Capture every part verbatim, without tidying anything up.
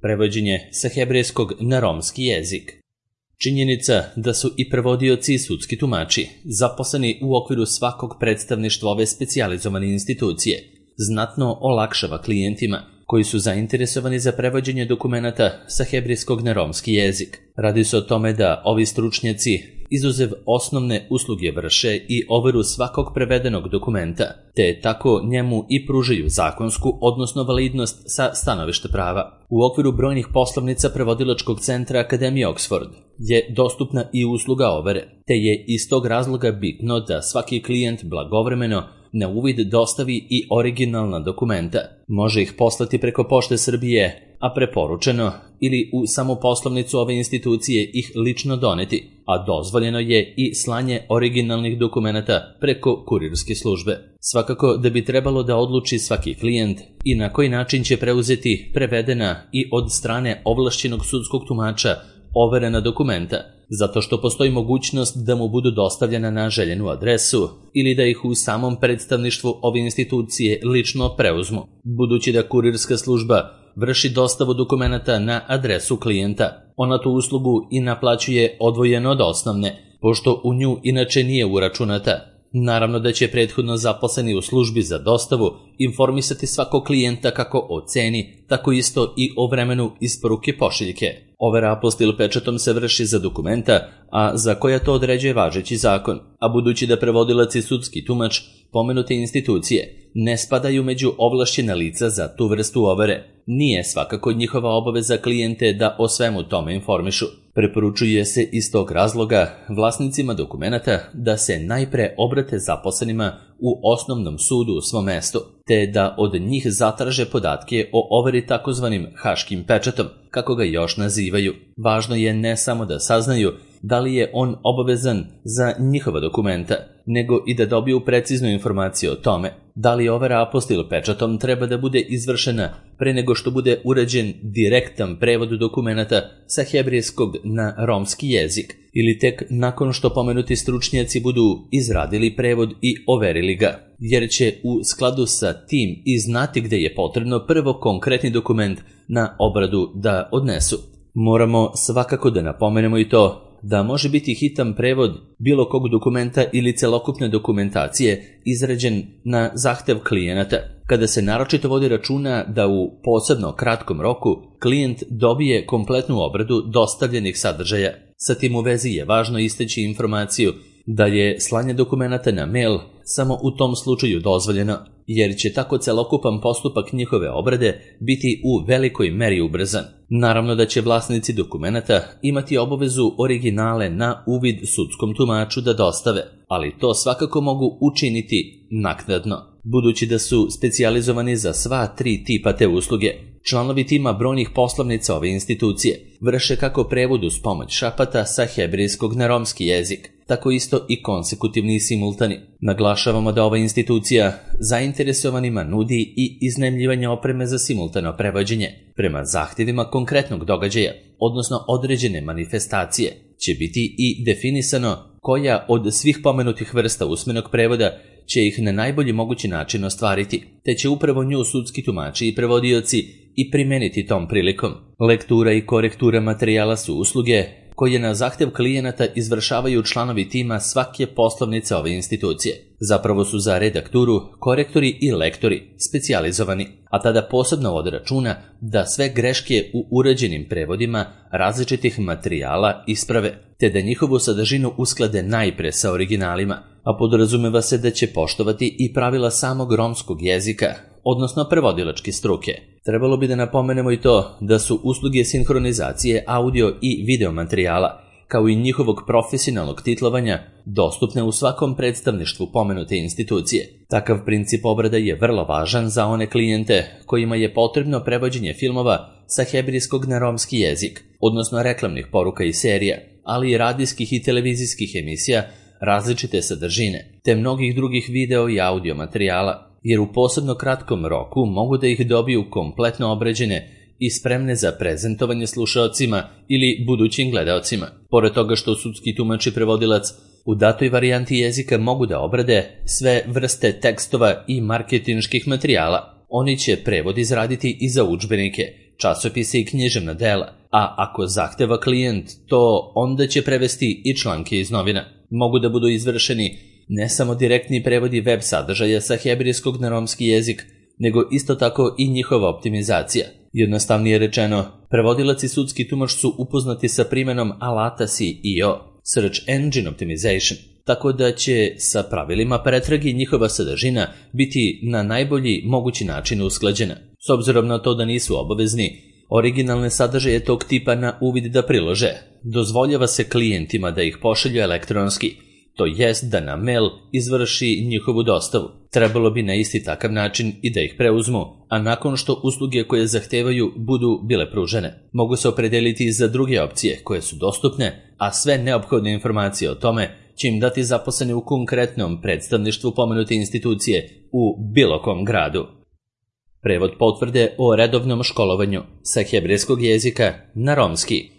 prevođenje sa hebrejskog na romski jezik. Činjenica da su i prevodioci i sudski tumači zaposleni u okviru svakog predstavništva ove specijalizovane institucije znatno olakšava klijentima koji su zainteresovani za prevođenje dokumenata sa hebrejskog na romski jezik. Radi se o tome da ovi stručnjaci izuzev osnovne usluge vrše i overu svakog prevedenog dokumenta, te tako njemu i pružaju zakonsku, odnosno validnost sa stanovišta prava. U okviru brojnih poslovnica prevodilačkog centra Akademije Oxford je dostupna i usluga overe, te je iz tog razloga bitno da svaki klijent blagovremeno na uvid dostavi i originalna dokumenta. Može ih poslati preko Pošte Srbije, a preporučeno ili u samu poslovnicu ove institucije ih lično doneti, a dozvoljeno je i slanje originalnih dokumenata preko kurirske službe. Svakako da bi trebalo da odluči svaki klijent i na koji način će preuzeti prevedena i od strane ovlašćenog sudskog tumača overena dokumenta, zato što postoji mogućnost da mu budu dostavljena na željenu adresu ili da ih u samom predstavništvu ove institucije lično preuzmu, budući da kurirska služba vrši dostavu dokumenata na adresu klijenta. Ona tu uslugu i naplaćuje odvojeno od osnovne, pošto u nju inače nije uračunata. Naravno da će prethodno zaposleni u službi za dostavu informisati svakog klijenta kako o ceni, tako isto i o vremenu isporuke pošiljke. Overa apostil pečatom se vrši za dokumenta, a za koja to određuje važeći zakon, a budući da prevodilac i sudski tumač pomenute institucije ne spadaju među ovlašćena lica za tu vrstu overe, nije svakako njihova obaveza klijente da o svemu tome informišu. Preporučuje se iz tog razloga vlasnicima dokumenata da se najpre obrate zaposlenima u osnovnom sudu u svom mestu, te da od njih zatraže podatke o overi takozvanim haškim pečatom, kako ga još nazivaju. Važno je ne samo da saznaju da li je on obavezan za njihova dokumenta, nego i da dobiju preciznu informaciju o tome da li overa apostil pečatom treba da bude izvršena pre nego što bude urađen direktan prevod dokumenata sa hebrejskog na romski jezik, ili tek nakon što pomenuti stručnjaci budu izradili prevod i overili ga, jer će u skladu sa tim i znati gde je potrebno prvo konkretni dokument na obradu da odnesu. Moramo svakako da napomenemo i to da može biti hitan prevod bilo kog dokumenta ili celokupne dokumentacije izrađen na zahtev klijenata, kada se naročito vodi računa da u posebno kratkom roku klijent dobije kompletnu obradu dostavljenih sadržaja. Sa tim u vezi je važno istaći informaciju da je slanje dokumenata na mail samo u tom slučaju dozvoljeno, jer će tako celokupan postupak njihove obrade biti u velikoj meri ubrzan. Naravno da će vlasnici dokumenata imati obavezu originale na uvid sudskom tumaču da dostave, ali to svakako mogu učiniti naknadno, budući da su specijalizovani za sva tri tipa te usluge. Članovi tima brojnih poslovnica ove institucije vrše kako prevod uz pomoć šapata sa hebrejskog na romski jezik, tako isto i konsekutivni i simultani. Naglašavamo da ova institucija zainteresovanima nudi i iznajmljivanje opreme za simultano prevođenje prema zahtjevima konkretnog događaja, odnosno određene manifestacije. Će biti i definisano koja od svih pomenutih vrsta usmenog prevoda će ih na najbolji mogući način ostvariti, te će upravo nju sudski tumači i prevodioci i primeniti tom prilikom. Lektura i korektura materijala su usluge koje na zahtev klijenata izvršavaju članovi tima svake poslovnice ove institucije. Zapravo su za redakturu, korektori i lektori specijalizovani, a tada posebno vode računa da sve greške u urađenim prevodima različitih materijala isprave, te da njihovu sadržinu usklade najpre sa originalima, a podrazumeva se da će poštovati i pravila samog romskog jezika, odnosno prevodilačke struke. Trebalo bi da napomenemo i to da su usluge sinhronizacije audio i video materijala, kao i njihovog profesionalnog titlovanja, dostupne u svakom predstavništvu pomenute institucije. Takav princip obrade je vrlo važan za one klijente kojima je potrebno prevođenje filmova sa hebrejskog na romski jezik, odnosno reklamnih poruka i serija, ali i radijskih i televizijskih emisija različite sadržine, te mnogih drugih video i audio materijala, jer u posebno kratkom roku mogu da ih dobiju kompletno obrađene i spremne za prezentovanje slušaocima ili budućim gledaocima. Pored toga što sudski tumač i prevodilac u datoj varijanti jezika mogu da obrade sve vrste tekstova i marketinških materijala, oni će prevod izraditi i za udžbenike, časopise i književna dela, a ako zahteva klijent to, onda će prevesti i članke iz novina. Mogu da budu izvršeni ne samo direktni prevodi web sadržaja sa hebrejskog na romski jezik, nego isto tako i njihova optimizacija. Jednostavnije rečeno, prevodilac i sudski tumač su upoznati sa primenom alata S E O, Search Engine Optimization, tako da će sa pravilima pretrage njihova sadržina biti na najbolji mogući način usklađena. S obzirom na to da nisu obavezni originalne sadržaje tog tipa na uvid da prilože, dozvoljava se klijentima da ih pošalju elektronski, to jest da na mail izvrši njihovu dostavu. Trebalo bi na isti takav način i da ih preuzmu, a nakon što usluge koje zahtevaju budu bile pružene. Mogu se opredeliti za druge opcije koje su dostupne, a sve neophodne informacije o tome će im dati zaposleni u konkretnom predstavništvu pomenute institucije u bilo kom gradu. Prevod potvrde o redovnom školovanju sa hebrejskog jezika na romski.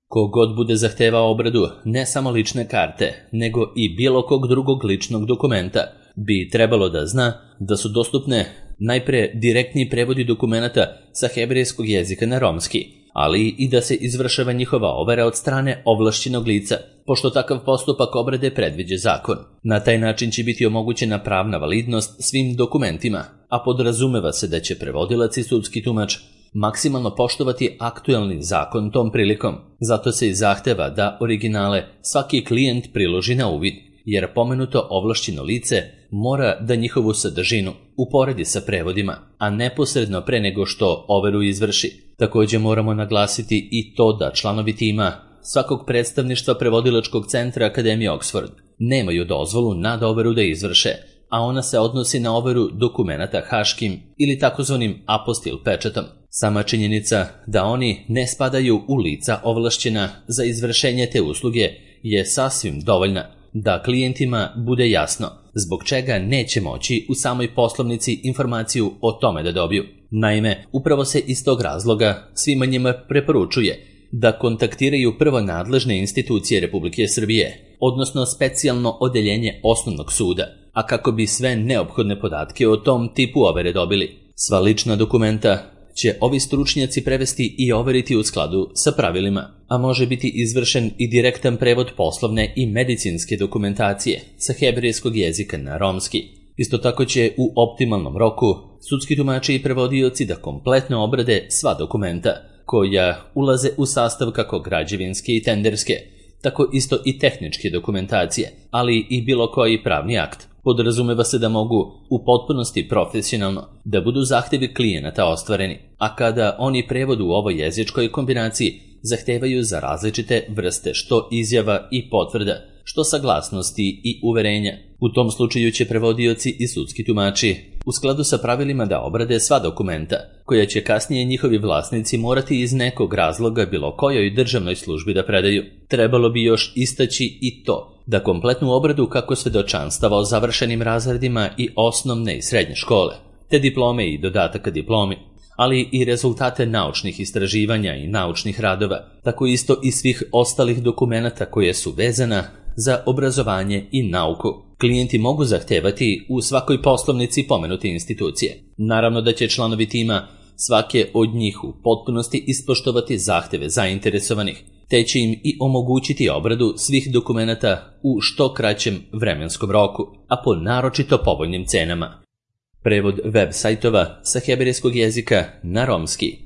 Kogod bude zahtevao obradu ne samo lične karte, nego i bilo kog drugog ličnog dokumenta, bi trebalo da zna da su dostupne najpre direktni prevodi dokumenata sa hebrejskog jezika na romski, ali i da se izvršava njihova overa od strane ovlašćenog lica, pošto takav postupak obrade predviđa zakon. Na taj način će biti omogućena pravna validnost svim dokumentima, a podrazumeva se da će prevodilac i sudski tumač maksimalno poštovati aktuelni zakon tom prilikom. Zato se i zahteva da originale svaki klijent priloži na uvid, jer pomenuto ovlašćeno lice mora da njihovu sadržinu uporedi sa prevodima, a neposredno pre nego što overu izvrši. Također moramo naglasiti i to da članovi tima svakog predstavništva prevodilačkog centra Akademije Oxford nemaju dozvolu nad overu da izvrše, a ona se odnosi na overu dokumenata haškim ili takozvanim apostil pečatom. Sama činjenica da oni ne spadaju u lica ovlašćena za izvršenje te usluge je sasvim dovoljna da klijentima bude jasno zbog čega neće moći u samoj poslovnici informaciju o tome da dobiju. Naime, upravo se iz tog razloga svima njima preporučuje da kontaktiraju prvo nadležne institucije Republike Srbije, odnosno specijalno odeljenje osnovnog suda, a kako bi sve neophodne podatke o tom tipu overe dobili. Sva lična dokumenta će ovi stručnjaci prevesti i overiti u skladu sa pravilima, a može biti izvršen i direktan prevod poslovne i medicinske dokumentacije sa hebrejskog jezika na romski. Isto tako će u optimalnom roku sudski tumači i prevodioci da kompletno obrade sva dokumenta koja ulaze u sastav kako građevinske i tenderske, tako isto i tehničke dokumentacije, ali i bilo koji pravni akt. Podrazumeva se da mogu u potpunosti profesionalno da budu zahtevi klijenata ostvareni, a kada oni prevod u ovoj jezičkoj kombinaciji zahtevaju za različite vrste što izjava i potvrda, što saglasnosti i uverenja. U tom slučaju će prevodioci i sudski tumači u skladu sa pravilima da obrade sva dokumenta, koja će kasnije njihovi vlasnici morati iz nekog razloga bilo kojoj državnoj službi da predaju. Trebalo bi još istaći i to da kompletnu obradu kako svedočanstava o završenim razredima i osnovne i srednje škole, te diplome i dodataka diplomi, ali i rezultate naučnih istraživanja i naučnih radova, tako isto i svih ostalih dokumenata koje su vezana za obrazovanje i nauku. Klijenti mogu zahtevati u svakoj poslovnici pomenute institucije. Naravno da će članovi tima svake od njih u potpunosti ispoštovati zahteve zainteresovanih, te će im i omogućiti obradu svih dokumenata u što kraćem vremenskom roku, a po naročito povoljnim cenama. Prevod web sajtova sa hebrejskog jezika na romski.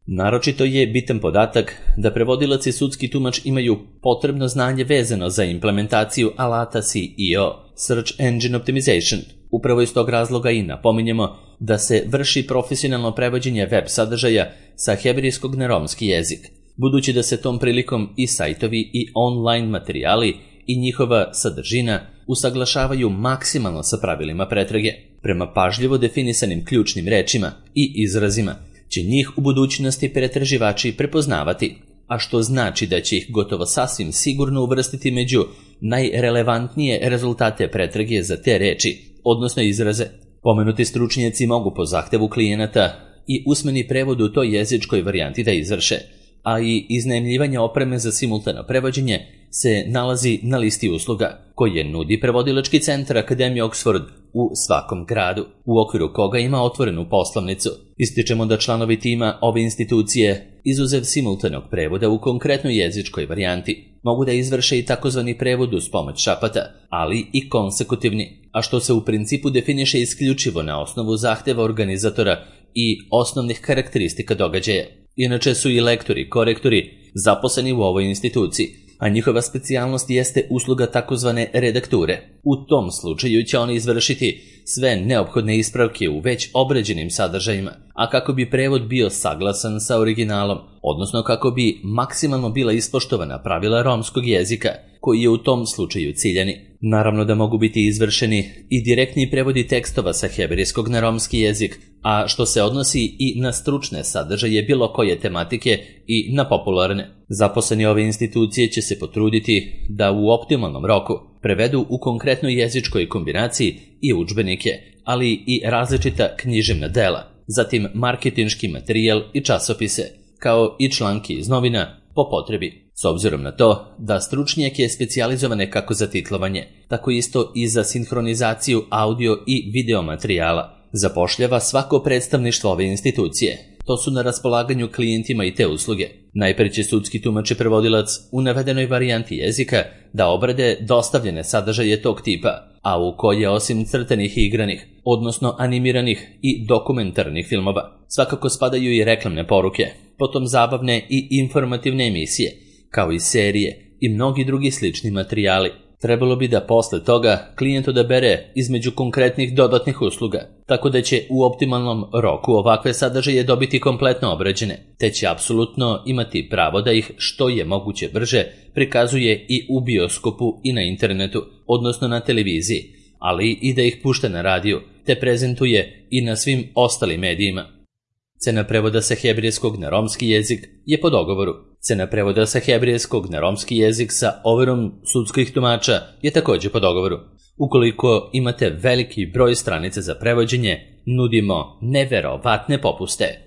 Naročito je bitan podatak da prevodilac i sudski tumač imaju potrebno znanje vezano za implementaciju alata S E O, Search Engine Optimization. Upravo iz tog razloga i napominjemo da se vrši profesionalno prevođenje web sadržaja sa hebrejskog na romski jezik, budući da se tom prilikom i sajtovi i online materijali i njihova sadržina usaglašavaju maksimalno sa pravilima pretrage. Prema pažljivo definisanim ključnim rečima i izrazima će njih u budućnosti pretraživači prepoznavati, a što znači da će ih gotovo sasvim sigurno uvrstiti među najrelevantnije rezultate pretrage za te reči, odnosno izraze. Pomenuti stručnjaci mogu po zahtevu klijenata i usmeni prevod u toj jezičkoj varijanti da izvrše, a i iznajmljivanje opreme za simultano prevođenje se nalazi na listi usluga koje nudi prevodilački centar Akademije Oxford u svakom gradu, u okviru koga ima otvorenu poslovnicu. Ističemo da članovi tima ove institucije, izuzev simultanog prevoda u konkretnoj jezičkoj varijanti, mogu da izvrše i takozvani prevod uz pomoć šapata, ali i konsekutivni, a što se u principu definiše isključivo na osnovu zahteva organizatora i osnovnih karakteristika događaja. Inače su i lektori, korektori zaposleni u ovoj instituciji, a njihova specijalnost jeste usluga takozvane redakture. U tom slučaju će oni izvršiti sve neophodne ispravke u već obrađenim sadržajima, a kako bi prevod bio saglasan sa originalom, odnosno kako bi maksimalno bila ispoštovana pravila romskog jezika, koji je u tom slučaju ciljani. Naravno da mogu biti izvršeni i direktni prevodi tekstova sa hebrejskog na romski jezik, a što se odnosi i na stručne sadržaje bilo koje tematike i na popularne. Zaposleni ove institucije će se potruditi da u optimalnom roku prevedu u konkretnoj jezičkoj kombinaciji i udžbenike, ali i različita književna dela, zatim marketinški materijal i časopise, kao i članke iz novina po potrebi. S obzirom na to da stručnjake specijalizovane kako za titlovanje, tako isto i za sinhronizaciju audio i video materijala zapošljava svako predstavništvo ove institucije. To su na raspolaganju klijentima i te usluge. Najpre će sudski tumač i prevodilac u navedenoj varijanti jezika da obrade dostavljene sadržaje tog tipa, a u koje osim crtanih i igranih, odnosno animiranih i dokumentarnih filmova, svakako spadaju i reklamne poruke, potom zabavne i informativne emisije, kao i serije i mnogi drugi slični materijali. Trebalo bi da posle toga klijent odabere između konkretnih dodatnih usluga, tako da će u optimalnom roku ovakve sadržaje dobiti kompletno obrađene, te će apsolutno imati pravo da ih što je moguće brže prikazuje i u bioskopu i na internetu, odnosno na televiziji, ali i da ih pušta na radiju, te prezentuje i na svim ostalim medijima. Cena prevoda sa hebrejskog na romski jezik je po dogovoru. Cena prevoda sa hebrejskog na romski jezik sa overom sudskih tumača je također po dogovoru. Ukoliko imate veliki broj stranica za prevođenje, nudimo neverovatne popuste.